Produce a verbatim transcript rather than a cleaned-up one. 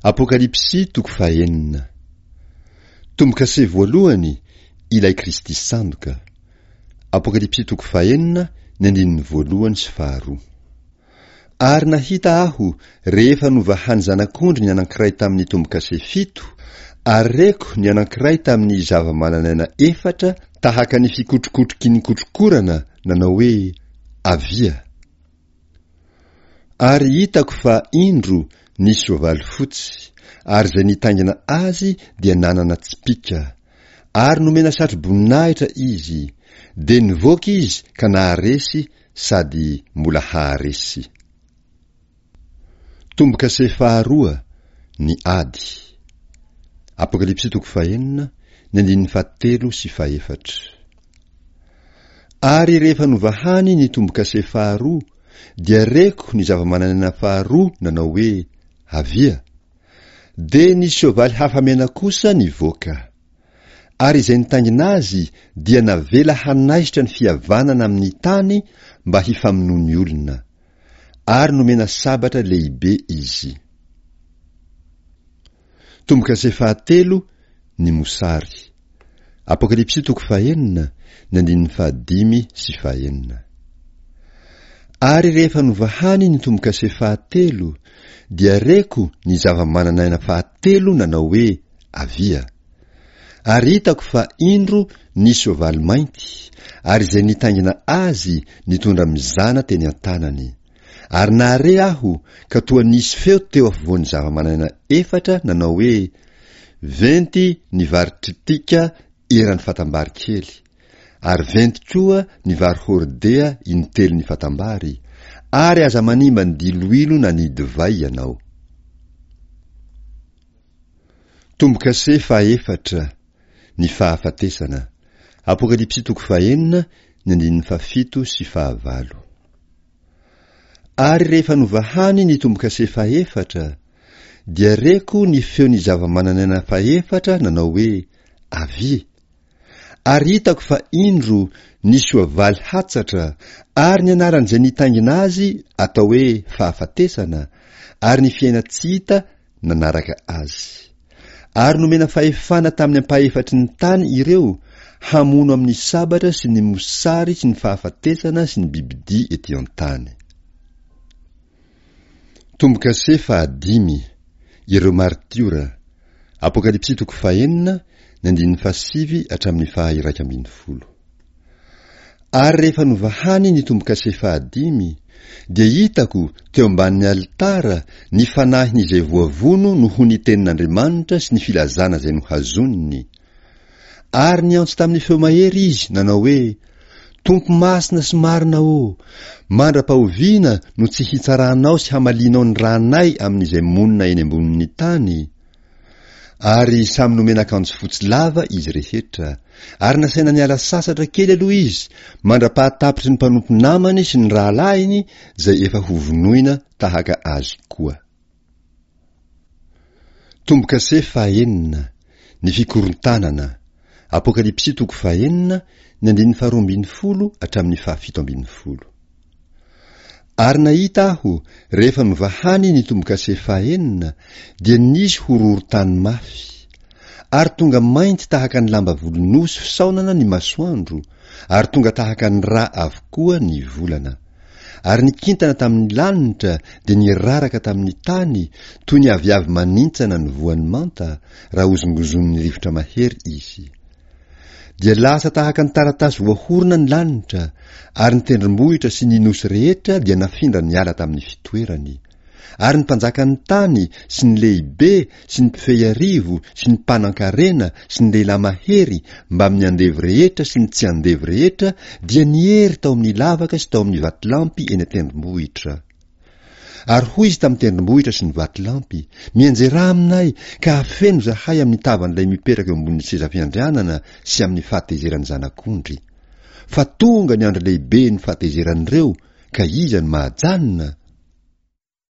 Apokalypsy toko fahenina. Tombo-kase voalohany, ilay Kristy sandoka. Apokalypsy toko fahenina, ny andininy voalohany sy faharoa. Ary nahita aho rehefa novahan'ny Zanak'ondry ny anankiray tamin'ny tombo-kase fito, ary reko ny anankiray tamin'ny zava-manan'aina efatra tahaka ny fikotrokotroky ny kotrokorana nanao hoe, Avia! Ary hitako fa indro nisy soavaly fotsy, ary izay nitaingina azy dia nanana tsipìka, ary nomena satroboninahitra izy, dia nivoaka izy ka naharesy sady mbola haharesy. Tombo-kase faharoa, ny ady. Apokalypsy toko fahenina, ny andininy fahatelo sy fahefatra. Ary rehefa novahany ny tombo-kase faharoa, dia reko ny zava-manan'aina faharoa nanao hoe, Avia! Dia nisy soavaly hafa mena kosa nivoaka. Ary izay nitaingina azy dia navela hanaisotra ny fihavanana amin'ny tany mba hifamonoan'ny olona. Ary nomena sabatra lehibe izy. Tombo-kase fahatelo, ny mosary. Apokalypsy toko fahenina, ny andininy fahadimy sy fahenina. Ary rehefa novahany ny tombo-kase fahatelo, dia reko ny zava-manan'aina fahatelo nanao hoe, Avia! Ary hitako fa indro nisy soavaly mainty, ary izay nitaingina azy nitondra mizana teny an-tanany. Ary nahare aho ka toa nisy feo teo afovoan'ny zava-mananaina efatra nanao hoe, Venty ny vary tritika eran'ny fatam-bary kely, ary venty koa ny vary hordea intelon'ny fatam-bary, ary aza manimba ny diloilo na ny divay ianao. Tombo-kase fahaefatra, ny fahafatesana. Apokalypsy toko fahenina, ny andininy fahafito sy fahavalo. Ary rehefa novahany ny tombo-kase fahefatra, dia reko ny feon'ny zava-manan'aina fahefatra nanao hoe, Avia! Ary hitako fa indro nisy soavaly hatsatra, ary ny anaran'izay nitaingina azy atao hoe Fahafatesana, ary ny fiainan-tsy hita nanaraka azy. Ary nomena fahefana tamin'ny ampahefatry ny tany ireo hamono amin'ny sabatra sy ny mosary sy ny fahafatesana sy ny bibidia ety an-tany. Tombo-kase fahadimy, Ireo maritiora, Apokalypsy toko fahenina, ny andininy fahasivy hatramin'ny faha-iraika ambin'ny folo. Ary rehefa novahany ny tombo-kase fahadimy, dia hitako teo ambanin'ny alitara ny fanahin'izay voavono noho ny tenin'Andriamanitra sy ny filazana izay nohazoniny. Ary niantso tamin'ny feo mahery izy, nanao hoe, Tompo masina sy marina ô, mandra-pahoviana no tsy hitsaranao sy hamalianao ny ranay amin'izay monina eny ambonin'ny tany? Ary samy nomena akanjo fotsy lava izy rehetra, ary nasaina niala sasatra kely aloha izy mandra-pahatapitry ny mpanompo namany sy ny rahalahiny izay efa hovonoina tahaka azy koa. Tombo-kase fahenina, ny fikorontanana, Apokalypsy toko fahenina, ny andininy faharoa ambin'ny folo hatramin'ny fahafito ambin'ny folo. Ary nahita aho, rehefa novahany ny tombo-kase fahenina, dia nisy horohorontany mafy. Ary tonga mainty tahaka ny lamba volon'osy fisaonana ny masoandro, ary tonga tahaka ny ra avokoa ny volana. Ary ny kintana tamin'ny lanitra dia niraraka tamin'ny tany toy ny aviavy manintsana ny voany manta, raha hozongozonin'ny rivotra mahery izy. Dia lasa tahaka ny taratasy voahorona ny lanitra, ary ny tendrombohitra sy ny nosy rehetra dia nafindra niala tamin'ny fitoerany. Ary ny mpanjakan'ny tany sy ny lehibe sy ny mpifehy arivo sy ny mpanan-karena sy ny lehilahy mahery mbamin'ny andevo rehetra sy ny tsy andevo rehetra dia niery tao amin'ny lavaka sy tao amin'ny vatolampy eny an-tendrombohitra. Ary hoy izy tamin'ny tendrombohitra sy ny vatolampy, Mianjerà aminay, ka hafeno izahay amin'ny tavan'ilay mipetraka eo ambonin'ny seza fiandrianana sy amin'ny fahatezeran'ny Zanak'ondry. Fa tonga ny andro lehiben'ny fahatezeran'ireo, ka iza no mahajanona?